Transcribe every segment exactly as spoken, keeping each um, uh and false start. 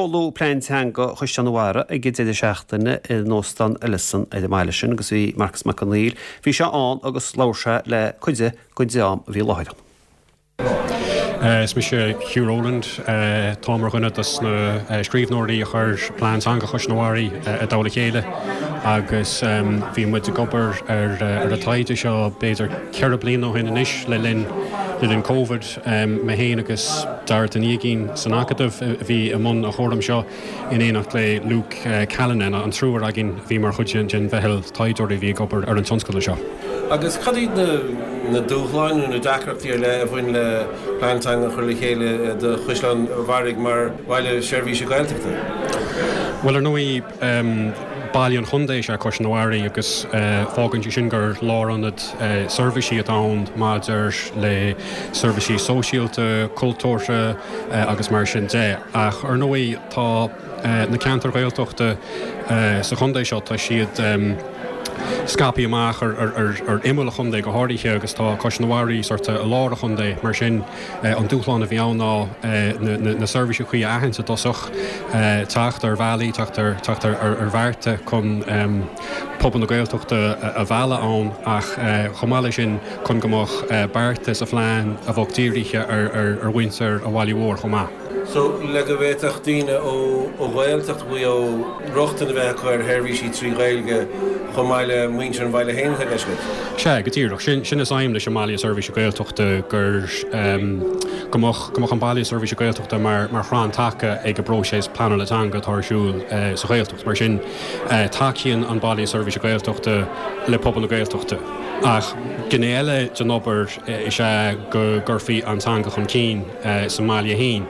Seoladh plean teanga Chaisleán an Bharraigh ag an deireadh seachtaine in Óstán Ellison ar an mbaile sin agus bhí Marcas Mac Conghail. Bhí sé ann agus labhair sé le cuid den dream a bhí i láthair. Is mise Hugh Rowland tá mar dhuine dos na scríbhneoirí a chuir plean teanga Chaisleán an Bharraigh i dtoll a chéile agus bhí muid ag obair ar ar an taighde seo b'fhéidir ceithre bliana ó shin anois le linn le linn Covid mé féin agus Dara Ó Niagáin san Acadamh a bhí i mbun an chúraim seo in éineacht le Luke Callanan an triúr againn bhí mar chuid den mheitheal taighdeoirí bhí ag obair ar an tionscadal seo. Agus cad iad na na dúshláin nó na deacrachtaí ar leith a bhain le plean teanga a chur le chéile do Chaisleán an Bharraigh mar bhaile seirbhíse Gaeltachta? Well ar ndóigh baile an chontae is ea Caisleán an Bharraigh agus fágann sé sin gur lárionad seirbhísí atá ann maidir le seirbhísí sóisialta, cultúrtha agus mar sin de. Ach ar ndóigh tá na ceantair Ghaeltachta sa chontae seo tá siad scaipthe amach ar ar imeall an chontae go háirithe agus tá Caisleán an Bharraigh sort i lár an chontae mar sin an dúshlán a bhí ann ná na seirbhísí cuí a aithint i dtosach teacht ar bhealaí teacht ar teacht ar ar bhearta chun pobal na Gaeltachta a mhealladh ann ach chomh maith leis sin chun go mbeadh bearta sa phlean a bheadh dírithe ar ar mhuintir an bhaile mhóir chomh maith. So le go bhféadfadh daoine ó ó Ghaeltacht Mhaigh Eo rochtain a bheith acu ar sheirbhísí trí Ghaeilge chomh maith le muintir an bhaile féin atá i gceist agat. Sea, go díreach. Sin sin is aidhm leis an mbaile seirbhíse Gaeltachta gur go mbeadh go mbeadh an baile seirbhíse Gaeltachta mar mar chrann taca ag an bpróiseas pleanála teanga atá ar siúl sa Ghaeltacht. Mar sin tacaíonn an baile seirbhíse Gaeltachta le pobal na Gaeltachta. Ach gné eile den obair is ea go gcuirfí an teanga chun cinn sa mbaile féin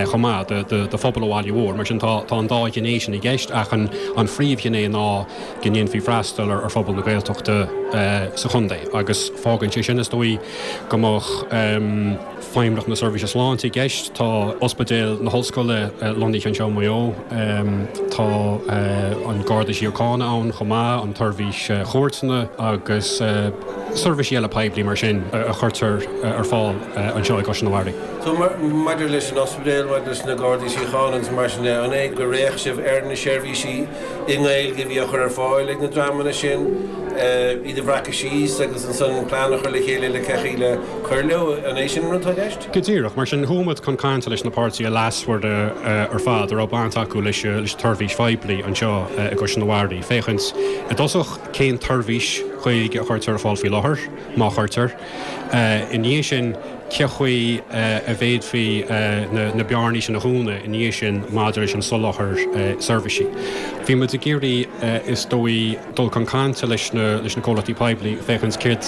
chomh maith do phobal an bhaile mhóir. Mar sin tá tá an dá ghné sin i gceist ach an an phríomhghné ná go ndéanfaí freastal ar ar phobal na Gaeltachta sa chontae agus fágann sé sin is dóigh go mbeadh Feidhmeannacht na Seirbhíse Sláinte i gceist, tá Ospidéal na hOllscoile lonnaithe anseo i Maigh Eo, tá an Garda Síochána ann chomh maith, an tSeirbhís Chúirteanna agus seirbhísí eile poiblí mar sin a chuirtear ar fáil anseo i gCaisleán an Bharraigh. So maidir leis an ospidéal, maidir leis na Gardaí Síochána agus mar sin de, an é gur fhéach sibh ar na seirbhísí i nGaeilge a bhí á chur ar fáil ag na dreamanna sin, iad a bhreacadh síos agus ansan plean a chur le chéile le cén chaoi le cur leo, an é sin an rud atá i gceist? Go díreach. Mar sin, chuaigh muid chun cainte leis na páirtithe leasmhara ar fad a raibh baint acu leis an tseirbhís phoiblí anseo i gCaisleán an Bharraigh, féachaint i dtosach cén tseirbhís Ghaeilge a chuirtear ar fáil faoi láthair, má chuirtear. I ndiaidh sin, cén chaoi a bhféadfaí na bearnaí sin a dhúnadh i ndiaidh sin maidir leis an soláthar seirbhísí. Bhí muid ag iarraidh, is dóigh, dul chun cainte leis na leis na comhlachtaí poiblí féachaint céard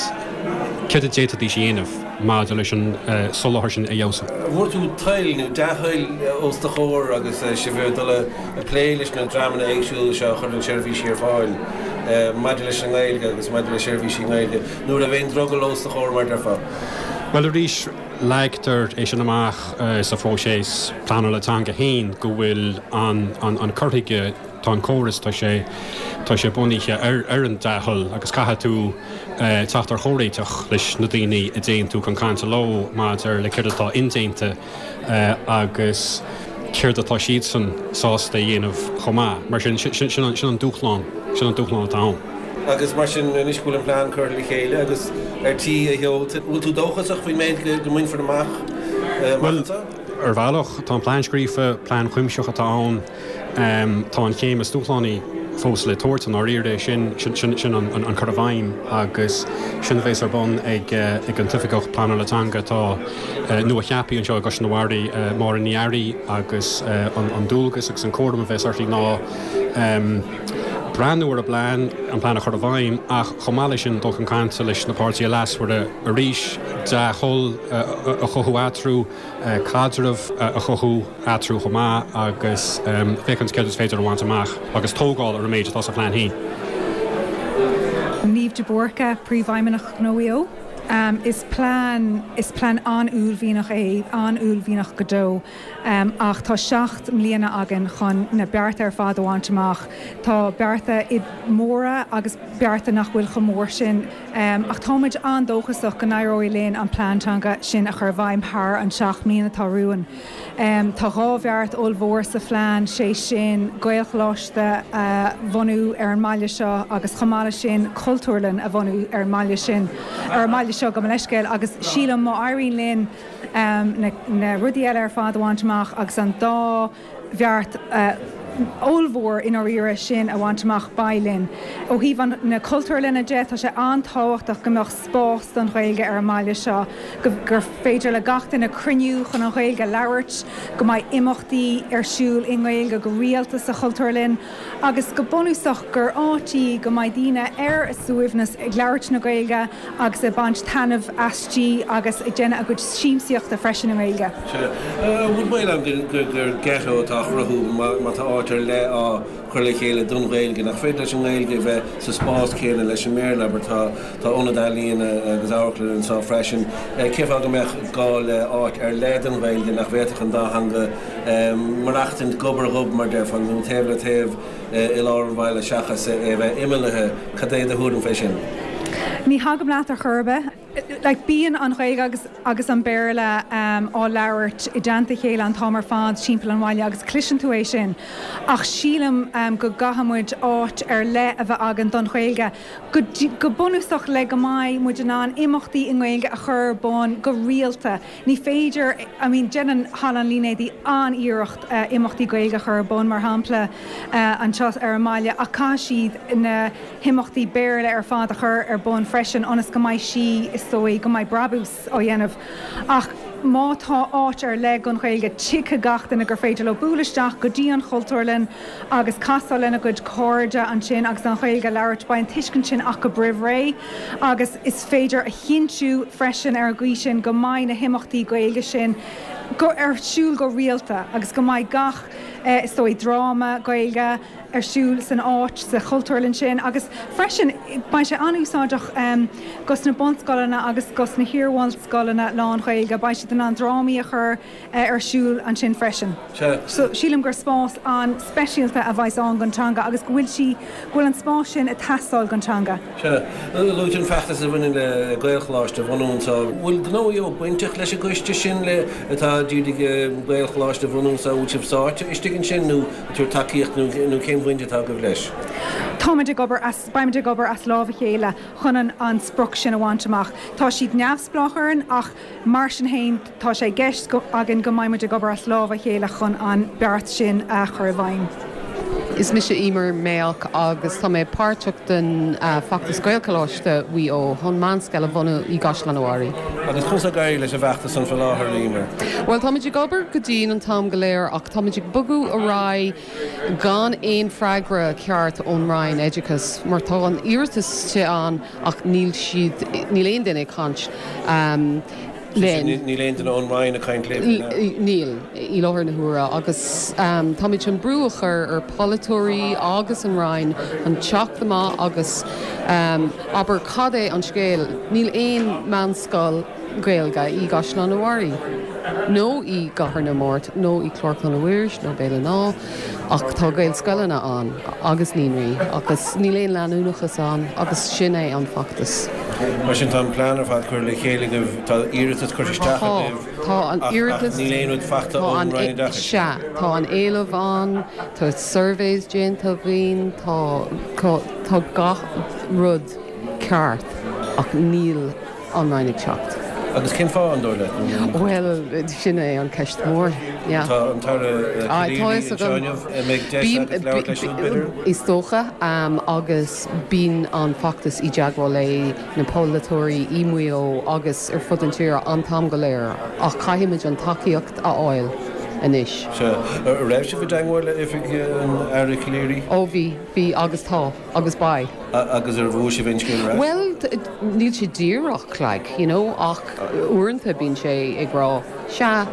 céard a d'fhéadfaidís a dhéanamh maidir leis an soláthar sin a fheabhsú. An bhfuair tú toil nó dea-thoil os do chomhair agus sibh ag dul ag plé leis na dreamanna éagsúla seo a chuireann seirbhísí ar fáil maidir leis an nGaeilge agus maidir le seirbhísí i nGaeilge? Nó an raibh aon drogall os do chomhair mar a déarfá? Bhuel arís, leagtar é sin amach sa phróiseas pleanála teanga féin go bhfuil an an cur chuige, tá an córas, tá sé tá sé bunaithe ar ar an dea-thoil agus caithfidh tú teacht ar chomhréiteach leis na daoine a dtéann tú chun cainte leo maidir le céard atá indéanta agus céard atá siadsan sásta a dhéanamh chomh maith. Mar sin, sin an dúshlán, sin an dúshlán atá ann. Agus mar sin, anois go bhfuil an plean curtha le chéile agus ar tí a sheolta, bhfuil tú dóchasach faoin méid go mbainfear amach amach anseo? Bhuel, ar bhealach, tá an plean scríofa, plean cuimsitheach atá ann. Tá an chéim is dúshlánaí fós le tabhairt i ndáiríre, sin sin an cur i bhfeidhm agus sin a bheas ar bun ag an tOifigeach Pleanála Teanga atá nua-cheaptha anseo i gCaisleán an Bharraigh, Máire Ní Fhearraigh agus an dualgas agus an cúram a bheas uirthi ná breathnú ar an bplean, an plean a chur i bhfeidhm ach chomh maith leis sin dul chun cainte leis na páirtithe leasmhara arís, dea-thoil a chothú eatarthu. caidreamh a chothú eatarthu chomh maith agus féachaint céard is féidir a bhaint amach agus tógáil ar an méid atá sa phlean féin. Niamh de Búrca, Príomhfheidhmeannach Ghnó Mhaigh Eo. Um, is plean is plean an-uaillmhianach é an-uaillmhianach go deo um, ach tá seacht mbliana againn chun na bearta ar fad a bhaint amach. Tá bearta móra agus bearta nach bhfuil chomh mór sin um, ach táimid an-dóchasach go n-éireoidh linn an plean teanga sin a chur i bhfeidhm thar an seacht mbliana atá romhainn. Um, tá dhá bheart ollmhór sa phlean sé sin Gaelcholáiste a bhunú ar an mbaile seo agus chomh maith leis sin cultúrlann a bhunú ar an mbaile sin ar an mbaile seo gabh mo leithscéal agus sílim má éiríonn linn um, na, na rudaí eile ar fad a bhaint amach agus an dá bheart uh, ollmhór in áirithe sin a bhaint amach beidh linn. Ó thaobh an na cultúrlainne de tá sé an-tábhachtach go mbeadh spás don Ghaeilge ar an mbaile seo, gur féidir le gach duine cruinniú chun an Ghaeilge labhairt, go mbeidh imeachtaí ar siúl i nGaeilge go rialta sa chultúrlann, agus go bunúsach gur áit í go mbeidh daoine ar a suaimhneas ag labhairt na Gaeilge agus ag baint taitneamh aisti agus ag déanamh a gcuid siamsaíochta freisin i nGaeilge. Bhfuil baol ann gur ghetto atá á chruthú má tá áit ar leith á chur le chéile don Ghaeilge nach féidir leis an nGaeilge bheith sa spás céanna leis an mBéarla mar tá tá ionad ealaíona agus amharclann anseo freisin. Cén fáth go mbeadh gá le áit ar leith don Ghaeilge nach bhféadfadh an dá theanga maireachtaint gob ar ghob mar a déarfá nó taobh le taobh i lár an bhaile seachas é bheith imeallaithe cad é do thuairim fé sin. Ní thagaim leat ar chor ar bith. Like, bíonn an Ghaeilge agus, agus an Béarla um, á labhairt i dteannta chéile an t-am ar fad timpeall an bhaile agus cloiseann tú é sin. Ach sílim um, go gcaithfimid áit ar leith a bheith againn don Ghaeilge, go, go bunúsach le go mbeidh muid in ann imeachtaí i nGaeilge a chur ar bun go rialta. Ní féidir I mean, déanann Halla an Línéadaigh an-iarracht uh, imeachtaí Gaeilge a chur ar bun mar shampla uh, anseo ar an mbaile ach caithfidh siad na himeachtaí Béarla ar fad a chur ar bun freisin ionas go mbeidh sí is dóigh go mbeidh brabús á dhéanamh. Ach má tá áit ar leith don Ghaeilge tuigfidh gach duine gur féidir leo bualadh isteach go dtí an chultúrlann agus casadh lena gcuid cairde ansin agus an Ghaeilge labhairt beidh an tuiscint sin acu roimh ré agus is féidir a chinntiú freisin ar an gcaoi sin go mbeidh na himeachtaí Gaeilge sin go ar siúl go rialta agus go mbeidh gach eh, is dóigh dráma Gaeilge ar siúl san áit sa chultúrlann sin agus freisin beidh sé an-úsáideach um, dos na bunscoileanna agus dos na hiar-bhunscoileanna lán-Ghaeilge beidh siad in ann drámaí a chur uh, ar siúl ansin freisin. So sílim gur spás an-speisialta a bheas ann don teanga agus go bhfuil sí go bhfuil an spás sin ag teastáil don teanga. Sea luaigh tú an feachtas a bhaineann le Gaelcholáiste a bhunú anseo. Bhfuil Gnó Mhaigh Eo bainteach leis an gcoiste sin le atá d'iarraidh Gaelcholáiste a bhunú anseo bhfuil sibh sáite istigh ansin nó tú tacaíocht nó cén bhaint atá agaibh leis. Táimid ag obair as beimid ag obair as lámh a chéile chun an, an sprioc sin a bhaint amach. Tá siad neamhspleách orainn ach mar sin féin tá sé i gceist againn go mbeimid ag obair as lámh a chéile chun an beart sin a chur i bhfeidhm. Is mise Emer Mayock agus tá mé páirteach den uh, feachtas Gaelcholáiste Mhaigh Eo chun meánscoil a bhunú i gCaisleán an Bharraigh. Agus conas ag éirí leis an bhfeachtas san faoi láthair Emer. Well táimid ag obair go dian an t-am go léir ach táimid ag bogadh ar aghaidh gan aon freagra ceart ón Roinn Oideachais mar tá an iarratas te an ach níl siad níl aon duine ag caint. Um, linn. Níl aon duine ón Roinn ag caint libh. Níl i láthair na huaire agus um, táimid chun brú a chur ar pholaiteoirí agus an Roinn an teacht amach agus um, abair cad é an scéal níl aon meánscoil Gaeilge i gCaisleán an Bharraigh. Nó i gCathair na Mart, nó i Clár Chlainne Mhuiris nó Béal an Átha ach tá Gaelscoileanna ann agus naíonraí agus níl aon leanúnachas ann agus sin é an feachtas. Mar sin tá an plean ar fad curtha le chéile agaibh tá iarratas curtha isteach Tá an iarratas níl aon rud faighte ón Roinn Oideachais. Sea tá an éileamh ann, tá surveys déanta againn, tá tá gach rud ceart ach níl an Roinn ag teacht. Agus cén fáth an dóigh leat? Well sin é an ceist mór. Tá an tAire Is dócha um, agus bíonn an feachtas i dteagmháil le na polaiteoirí i Maigh Eo agus ar fud an tír an t-am go léir ach caithfimid an tacaíocht a fháil anois. Raibh sibh i dteagmháil le oifig an Aire Calleary? Ó bhí bhí agus tá agus beidh. Agus ar bhfuair sibh aon scéal? Well níl sé díreach like, you know, ach uaireanta bíonn sé ag rá sea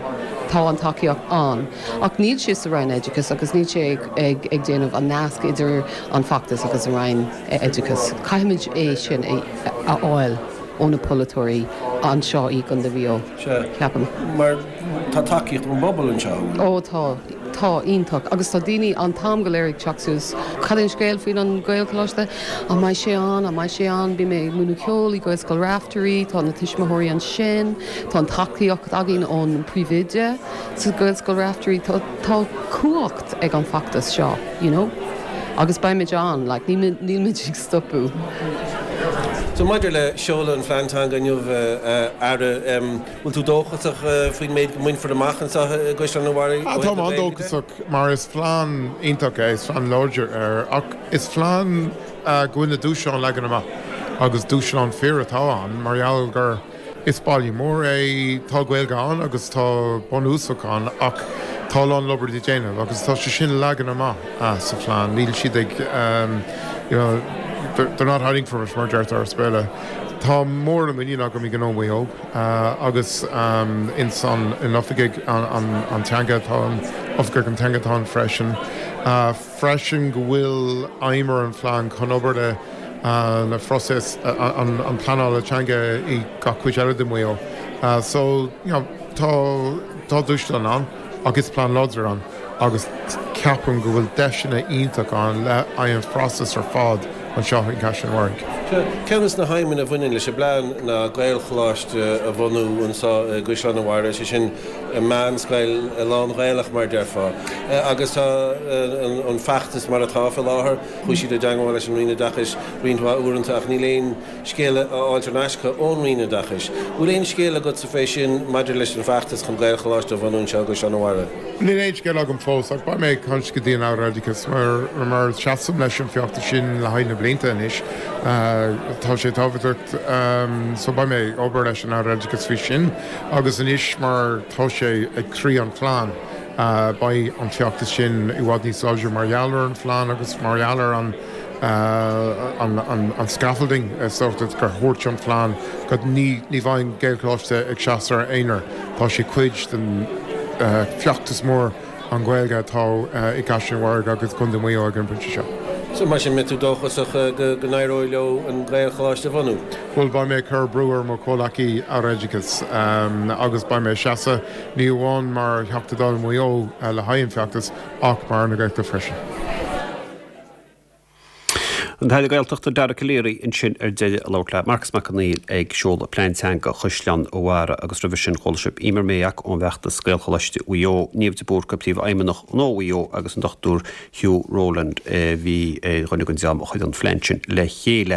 tá an tacaíocht ann. Ach níl sé sa Roinn Oideachais agus níl sé ag, ag, ag déanamh an nasc idir an feachtas agus an Roinn Oideachais. Caithfimid é sin a, a fháil. ó na polaiteoirí anseo i gContae Mhaigh Eo. Ceapaim. Mar tá tacaíocht ón bpobal anseo. Ó tá tá iontach agus tá daoine an t-am go léir ag teacht suas cad é an scéal faoin an Gaelcholáiste an mbeidh sé an an mbeidh sé an bhí mé múineadh ceoil i Gaelscoil Raifteirí tá na tuismitheoirí ansin tá an tacaíocht againn ón príomhoide sa Gaelscoil Raifteirí tá tá cumhacht ag an feachtas seo you know? agus beimid ann like, níl muid ag stopadh. So maidir le seoladh an phlean teanga inniu Aire bhfuil tú dóchasach faoin méid go mbainfear amach anseo i gCaisleán an Bharraigh Tá an-dóchasach mar is plean iontach é is plean láidir é ach is plean go bhfuil na dúshláin leagtha amach agus dúshlán fíor atá ann mar gheall gur is baile mór é tá Gaeilge ann agus tá bunúsach ann ach tá a lán obair le déanamh agus tá sé sin leagtha amach sa phlean níl siad ag um, you know, they're not hiding from it mar deirtear as Béarla. Tá mór muinín agam i nGnó Mhaigh Eo agus um, in san in oifigigh an, an, an teanga tá oifigeach an teanga atá freisin. Uh, freisin go bhfuil aidhm ar an phlean chun obair le uh, na phróiseas uh, an, an pleanála teanga i gach cuid eile de Mhaigh Eo. Uh, so you know, tá tá dúshlán ann agus plean láidir ann agus ceapaim go bhfuil deiseanna iontach ann le an phróiseas ar fad anseo i gCaisleán an Bharraigh. Ceann de na haidhmeanna a bhaineann leis an bplean ná Gaelcholáiste a bhunú anseo i gCaisleán an Bharraigh sé sin meánscoil lán-Ghaelach mar déarfá. Agus tá an feachtas mar atá faoi láthair, chuaigh siad i dteagmháil leis an Roinn Oideachais roinnt mhaith uaireanta ach níl aon scéal á fháil ar ais ón Roinn Oideachais. Bhfuil aon scéal agat sa fé sin maidir leis an feachtas chun Gaelcholáiste a bhunú anseo i gCaisleán an Bharraigh. Níl aon scéal agam fós ach beidh mé ag caint go dtí an Aire Oideachais mar mar seasaim leis an feachtas sin le haghaidh na blianta anois. Tá sé tábhachtach so beidh mé ag obair leis an Aire Oideachais faoi sin agus anois mar tá sé ag croí an phlean. Beidh an feachtas sin i bhfad níos láidre mar gheall ar an phlean agus mar gheall ar an an, an, an scaffolding sort gur thabhairt an phlean go ní ní bheidh an Gaelcholáiste ag seasamh ar aonar Tá sé cuid den uh, feachtas mór an Ghaeilge atá uh, i gCaisleán an Bharraigh agus Contae Mhaigh Eo ag an bpointe seo. So mar sin mbeidh tú dóchasach go go n-éireoidh leo an Gaelcholáiste a bhunú. Well beidh mé cur brú ar mo chomhghleacaí Aire Oideachais um, agus beidh mé seasamh ní amháin mar Theachta Dála Mhaigh Eo uh, le haghaidh an feachtas ach mar na Gaeltachta freisin. An tAire Gaeltachta Dara Calleary ansin ar deireadh ag labhairt le Marcas Mac Conghail ag seoladh plean teanga Chaisleán an Bharraigh agus roimhe sin chuala sibh Eimear Maycock ón bhfeachtas Gaelcholáiste Mhaigh Eo, Niamh de Búrca príomhfheidhmeannach Ghnó Mhaigh Eo agus an Dr Hugh Rowland bhí dhuine den dream a chuir an plean sin le chéile.